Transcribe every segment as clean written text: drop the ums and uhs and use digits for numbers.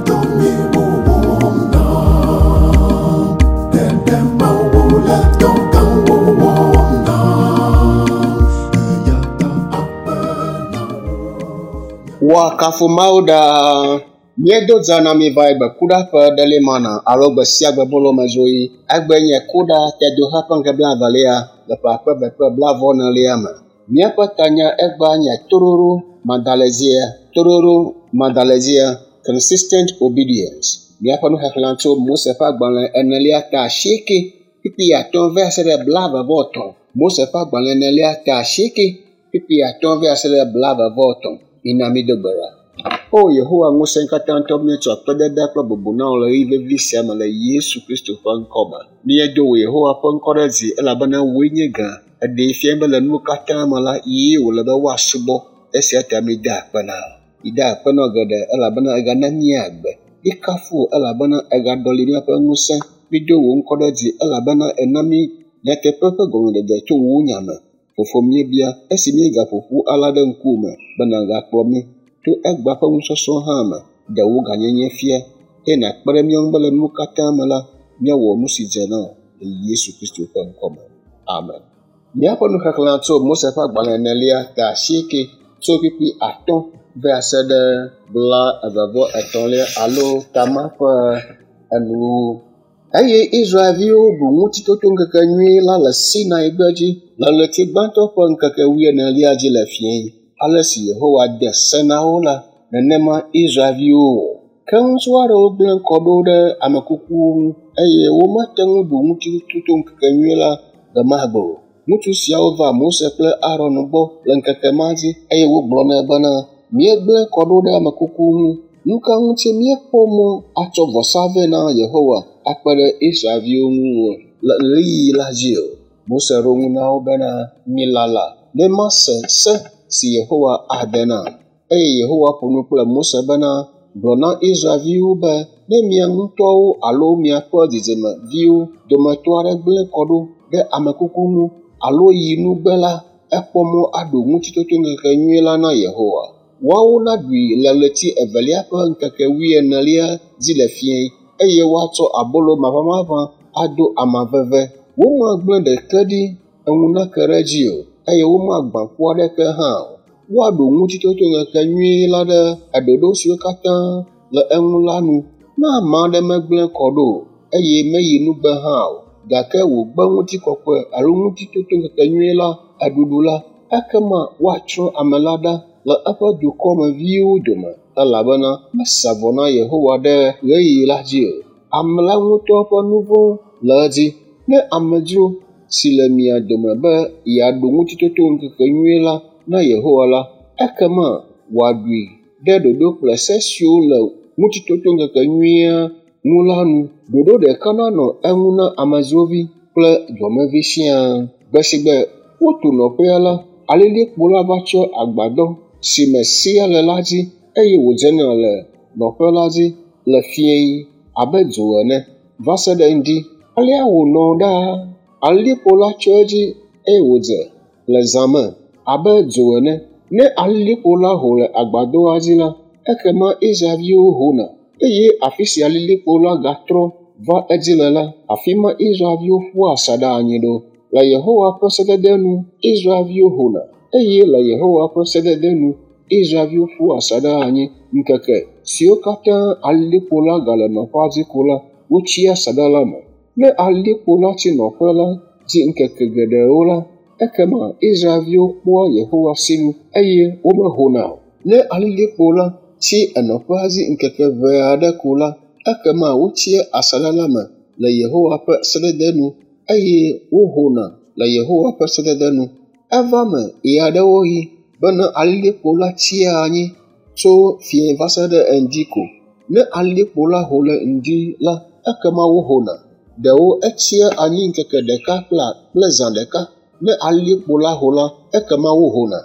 dɔ nyui wowɔm nam. Ɖeɖe Mawu le dɔ gãwo wɔm nam. Eya ta akpe na wò. Woakafu Mawu ɖaa. Míedo dza na mi va yi gbe kuɖa ƒe ɖeli mana alo gbe sia gbe bolo me dzo yi. Egbe nye kuɖa tedoxe ƒe ŋkeke blaevelia le ƒe akpe eve kple blaeve-vɔ-enelia me. Míaƒe tanya egbea nye toɖoɖo madalɛdzia, toɖoɖo madalɛdzia, consistent obedience. Míaƒe nuxexlẽ tso Mose ƒe agbalẽ enelia ta 8 kpukpui 5 va se ɖe 23. Mose ƒe agbalẽ enelia ta 8 kpukpui 5 va se ɖe 23. Mina mído gbe ɖa. O Yehowa ŋusẽkatãtɔ, míetsɔ akpedada kple bubu na wò le ɣeyiɣi vevi sia me le Yesu Kristo ƒe ŋkɔ me. Míedo wò Yehowa ƒe ŋkɔ ɖe dzi elabena wòe nye gã. Eɖee fia be le nuwo katã me la, yee wòle be woasubɔ. Esia ta míeda akpe na wò. Míeda akpe na wò geɖe elabena egana mí agbe. Míekafu wò elabena egaɖɔli míaƒe ŋusẽ. Mído wò ŋkɔ ɖe dzi elabena ena mí nyateƒe ƒe gɔmeɖeɖe tso wò nya me. Fofo míebia esi míegaƒo ƒu alea ɖe ŋkuwò me be nàgakplɔ mí to egbea ƒe nusɔsrɔ̃ hã me. Ɖe wò gãnyenye fia eye nàkpe ɖe mía ŋu be le nuwo katã me la, míawɔ nu si dze na wò le Yesu Kristo ƒe ŋkɔ me. Amen. Míaƒe nuxexlẽ tso Mose ƒe agbalẽ enelia ta 8 tso kpukpui 5 va se ɖe 23 alo tama ƒe enuwo. Eye Israelviwo ɖu ŋutitotoŋkekenyui la le Sinai gbedzi le ɣleti gbãtɔ ƒe ŋkeke wuienelia dzi le fiẽ. Ale si Yehowa de se na wo la, nenema Israelviwo wɔ. Ke ŋutsu aɖewo gblẽ kɔ ɖo ɖe ame kukuwo ŋu eye womete ŋu ɖu ŋutitotoŋkekenyui la gbe ma gbe o. Ŋutsu siawo va Mose kple Aron gbɔ le ŋkeke ma dzi eye wogblɔ nɛ bena, míegblẽ kɔ ɖo ɖe ame kukuwo ŋu. Nu ka ŋuti míekpɔ mɔ atsɔ vɔsa vɛ na Yehowa akpe ɖe Israelviwo ŋu o le ɣeyiɣi la dzi o? Mose ɖo ŋu na wo bena, milala ne mase se si Yehowa ade nam. Eye Yehowa ƒo nu kple Mose bena, gblɔ na Israelviwo be ne mia ŋutɔwo alo miaƒe dzidzimeviwo dometɔ aɖe gblẽ kɔ ɖo ɖe ame kuku ŋu alo yi nugbe la, ekpɔ mɔ aɖu ŋutitotoŋkekenyui la na Yehowa. Woawo naɖui le ɣleti evelia ƒe ŋkeke wuienelia dzi le fiẽ eye woatsɔ abolo maʋamaʋã ado ama veve. Womagblẽ ɖeke ɖi eŋu nake ɖe edzi o eye womagbã ƒu aɖeke hã o. Woaɖu ŋutitotoŋkekenyui la ɖe ɖoɖo siwo katã le eŋu la nu. Ne ame aɖe megblẽ kɔ ɖo o eye meyi nugbe hã o, gake wògbe ŋutikɔkɔe alo ŋutitotoŋkekenyui la eɖuɖu la, ekema woatsrɔ̃ ame la ɖa le eƒe dukɔmeviwo dome elabena mesa vɔ na Yehowa ɖe ɣeyiɣi la dzi o. Ame la ŋutɔ ƒe nu vɔ̃ le edzi. Ne amedzro si le mia dome be yeaɖu ŋutitotoŋkekenyui la na Yehowa la, ekema wòaɖui ɖe ɖoɖo kple se siwo le ŋutitotoŋkekenyuia ŋu la nu. Ɖoɖo ɖeka nanɔ eŋu na amedzrovi kple dɔmevi siaa. Gbe si gbe wotu nɔƒea la, alilikpo la va tsyɔ agbadɔ si me sea le la dzi eye wòdzena le nɔƒe la dzi le fiẽ abe dzo ene va se ɖe ŋdi. Alea wònɔ ɖaa. Alilikpo la tsyɔ edzi eye wòdze le zã me abe dzo ene. Ne alilikpo la ho le agbadɔa dzi la, ekema Israelviwo hona eye afi si alilikpo la gatrɔ va edzi le la, afi ma Israelviwo ƒua asaɖa anyi ɖo. Le Yehowa ƒe sedede nu Israelviwo hona eye le Yehowa ƒe sedede nu Israelviwo ƒua asaɖa anyi. Ŋkeke siwo katã alilikpo la gale nɔƒea dzi ko la, wotsia asaɖa la me. Ne alilikpo la tsi nɔƒe la dzi ŋkeke geɖewo la, ekema Israelviwo kpɔa Yehowa sinu eye womehona o. Ne alilikpo la tsi enɔƒea dzi ŋkeke ʋɛ aɖe ko la, ekema wotsia asaɖa la me le Yehowa ƒe sedede nu eye wohona le Yehowa ƒe sedede nu. Eva me ɣeaɖewoɣi bena alilikpo la tsia anyi tso fiẽ va se ɖe ŋdi ko. Ne alilikpo la ho le ŋdi la, ekema wohona. Ɖewo etsia anyi ŋkeke ɖeka kple zã ɖeka. Ne alilikpo la ho la, ekema wohona.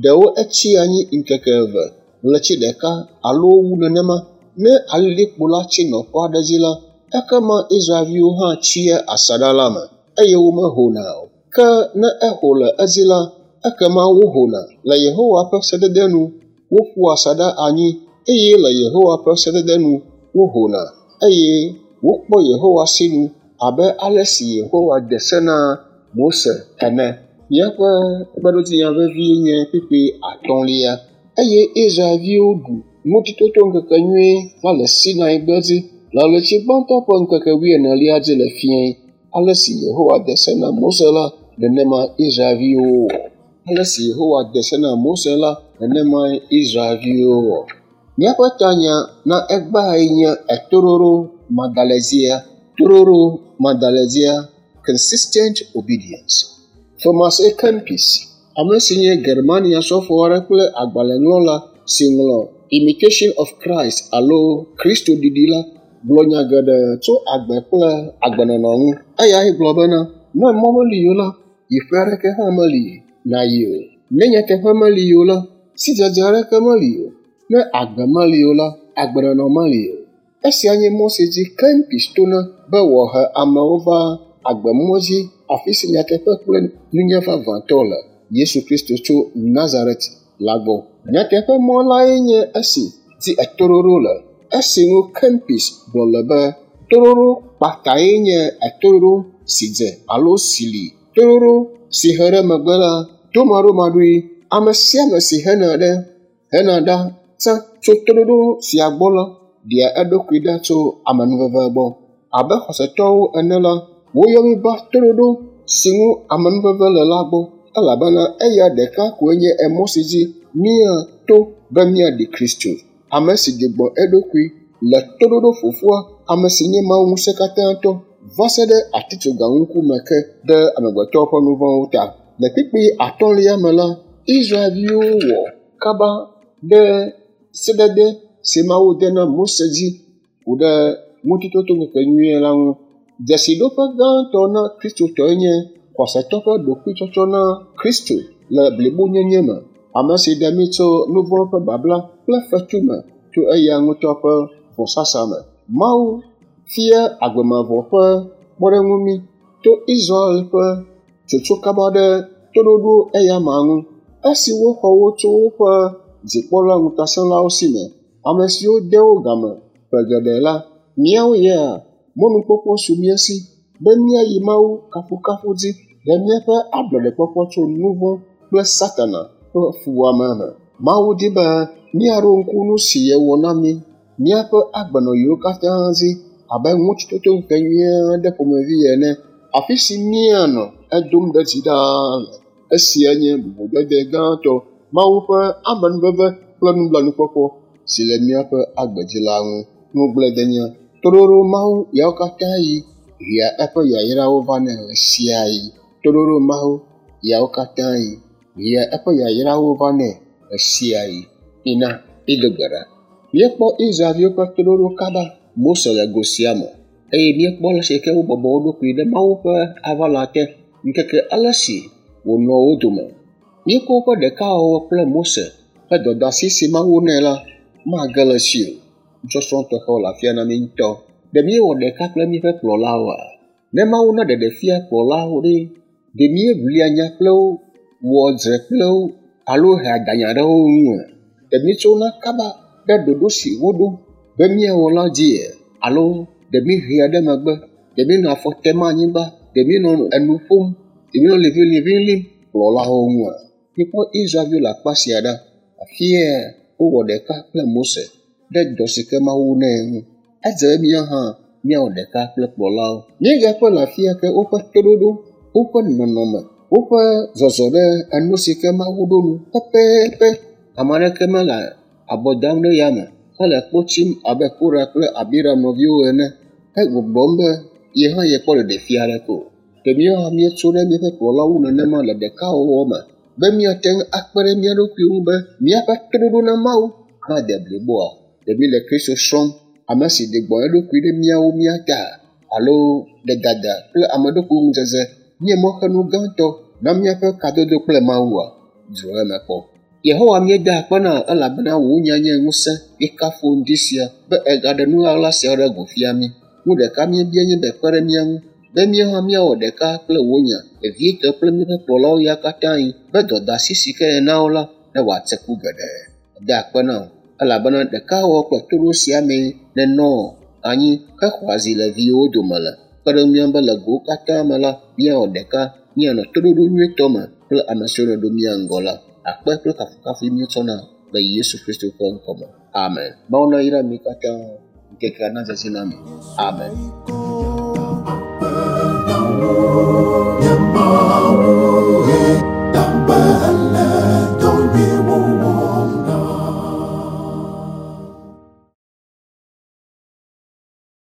Ɖewo etsia anyi ŋkeke eve, ɣleti ɖeka alo wu nenema. Ne alilikpo la tsi nɔƒe aɖe dzi la, ekema Israelviwo hã tsia asaɖa la me eye womehona o. Ke ne eho le edzi la, ekema wohona. Le Yehowa ƒe sedede nu, woƒua asaɖa anyi eye le Yehowa ƒe sedede nu, wohona eye wokpɔ Yehowa sinu abe ale si Yehowa de se na Mose ene. Míaƒe kpeɖodzinya vevie nye kpukpui atɔ̃lia. Eye Israelviwo ɖu Ŋutitotoŋkekenyui la le Sinai gbedzi le ɣleti gbãtɔ ƒe ŋkeke wuienelia dzi le fiẽ. Ale si Yehowa de se na Mose la, nenema Israelviwo wɔ. Ale si Yehowa de se na Mose la, nenemae Israelviwo wɔ. Míaƒe tanya na egbeae nye etoɖoɖo madalɛdzia. Toɖoɖo madalɛdzia, consistent obedience. Thomas A. Kempis, ame si nye Germania sɔfo aɖe kple agbalẽŋlɔla si ŋlɔ Imitation of Christ alo Kristo ɖiɖi la, gblɔ nya geɖe tso agbe kple agbenɔnɔ ŋu. Eyae gblɔ bena, ne mɔ meli o la, yiƒe aɖeke hã meli nàyi o. Ne nyateƒe meli o la, sidzedze aɖeke meli o. Ne agbe meli o la, agbenɔnɔ meli o. Esia nye mɔ si dzi Kempis tona be wòahe amewo va agbemɔ dzi afi si nyateƒe kple nunya vavãtɔ le, Yesu Kristo tso Nazaret la gbɔ. Nyateƒe mɔ lae nye esi dzi etoɖoɖo le. Esi ŋu Kempis gblɔ le be toɖoɖo kpatae nye etoɖoɖo si dze alo si li. Toɖoɖo si he ɖe megbe la, tomaɖomaɖoe, ame sia ame si hena ɖe hena ɖa tsã tso toɖoɖo sia gbɔ la, ɖea eɖokui ɖa tso amenuveve gbɔ. Abe xɔsetɔwo ene la, woyɔ mí va toɖoɖo si ŋu amenuveve le la gbɔ elabena eya ɖeka koe nye emɔ si dzi míato be míaɖi Kristo, ame si ɖi gbɔ eɖokui le toɖoɖo fofoa, ame si nye Mawu ŋusẽkatãtɔ va se ɖe atitsoga ŋkume ke ɖe amegbetɔwo ƒe nu vɔ̃wo ta. Le kpukpui atɔ̃lia me la, Israelviwo wɔ kaba ɖe sedede si Mawu de na Mose dzi ku ɖe Ŋutitotoŋkekenyui la ŋu. Dzesiɖoƒe gãtɔ na Kristotɔe nye xɔsetɔ ƒe ɖokuitsɔtsɔ na Kristo le blibonyenye me, ame si ɖe mí tso nu vɔ̃ ƒe babla kple fetu me tso eya ŋutɔ ƒe vɔsasa me. Mawu fia agbemavɔ ƒe kpɔɖeŋu mí to Israel ƒe tsotso kaba ɖe toɖoɖo eyama ŋu. Esi woxɔ wo tso woƒe dzikpɔla ŋutasẽlawo si me, ame siwo de wo game ƒe geɖe la, míawo ya mɔnukpɔkpɔ su mía si be míayi Mawu kafukafu dzi le míaƒe ablɔɖekpɔkpɔ tso nu vɔ̃ kple Satana ƒe fuwɔame me. Mawu di be míaɖo ŋku nu si yewɔ na mí míaƒe agbenɔɣiwo katã dzi abe ŋutitotoŋkekenyui aɖe ƒomevi ene, afi si míanɔ edom ɖe dzi ɖaa le. Esia nye bubudede gãtɔ Mawu ƒe amenuveve kple nublanuikpɔkpɔ si le míaƒe agbe dzi la ŋu. Ŋugbledenya, toɖoɖo Mawu ɣeawo katã ɣi hea eƒe yayrawo vanɛ ɣesiaɣi. Toɖoɖo Mawu ɣeawo katã ɣi hea eƒe yayrawo vanɛ ɣesiaɣi. Mina mído gbe ɖa. Míekpɔ Israelviwo ƒe toɖoɖo kaba Mose le go sia me eye míekpɔ ale si ke wobɔbɔ wo ɖokui ɖe Mawu ƒe aʋala te ŋkeke ale si wònɔ wo dome. Míekpɔ woƒe ɖekawɔwɔ kple Mose ƒe dɔdeasi si Mawu nɛ la mage le esi o. Nusɔsrɔ̃ tɔxɛwo le afia na mí ŋutɔ. Ɖe míewɔ ɖeka kple míaƒe kplɔlawoa? Ne Mawu na ɖeɖefia kplɔlawo ɖe, ɖe míeʋlia nya kple wo, wɔa dzre kple wo alo hea danya ɖe wo ŋua? Ɖe míetsona kaba ɖe ɖoɖo si woɖo be míawɔ la dzia? Alo ɖe míehea ɖe megbe? Ɖe míenɔ afɔ tem anyigba? Ɖe míenɔ enu ƒom? Ɖe míenɔ liʋiliʋi lim kplɔlawo ŋua? Mikpɔ Israelviwo le akpa sia ɖa. Afia wowɔ ɖeka kple Mose ɖe dɔ si ke Mawu nɛ ŋu. Edze be míawo hã míawɔ ɖeka kple kplɔlawo. Míegakpɔe le afia ke woƒe toɖoɖo, woƒe nɔnɔme, woƒe zɔzɔ ɖe enu si ke Mawu ɖo nu pɛpɛpɛ. Ame aɖeke mele abɔ dam ɖe yame hele kpo tsim abe Kora kple Abiram nɔviwo ene hegbɔgblɔm be ye hã yekpɔ ɖeɖefia aɖeke o. Ɖe míawo hã míetso ɖe míaƒe kplɔlawo ŋu nenema le ɖekawɔwɔ me be míate ŋu akpe ɖe mía ɖokuiwo ŋu be míaƒe toɖoɖo na Mawu nade bliboa? Ɖe míele Kristo srɔ̃m, ame si ɖi gbɔ eɖokui ɖe míawo mía ta alo ɖe dada kple ameɖokuiŋudzedze nye mɔxenu gãtɔ na míaƒe kadodo kple Mawua? Dzro eme kpɔ. Yehowa míeda akpe na wò elabena wò nya nye ŋusẽ. Míekafu ŋdi sia be ègaɖe nu ɣaɣla siawo ɖe go fia mí. Nu ɖeka míebia nye be kpe ɖe mía ŋu be míawo hã míawɔ ɖeka kple wò nya, vevietɔ kple míaƒe kplɔlawo ya katã yi be dɔdeasi si ke nèna wo la ne wòatse ku geɖe. Meda akpe na wò. Elabena ɖekawɔwɔ kple toɖoɖo sia mee nènɔ anyi hexɔ azi le viwòwo dome le. Kpe ɖe mía ŋu be le gowo katã me la, míawɔ ɖeka, míanɔ toɖoɖo nyuietɔ me kple ame siwo nèɖo mía ŋgɔ la. Akpe kple kafukafui míetsɔna le Yesu Kristo ƒe ŋkɔme. Amen. Mawu nayra mi katã. Ŋkekea nadzedze na mi. Amen. Eya ta akpe na wò.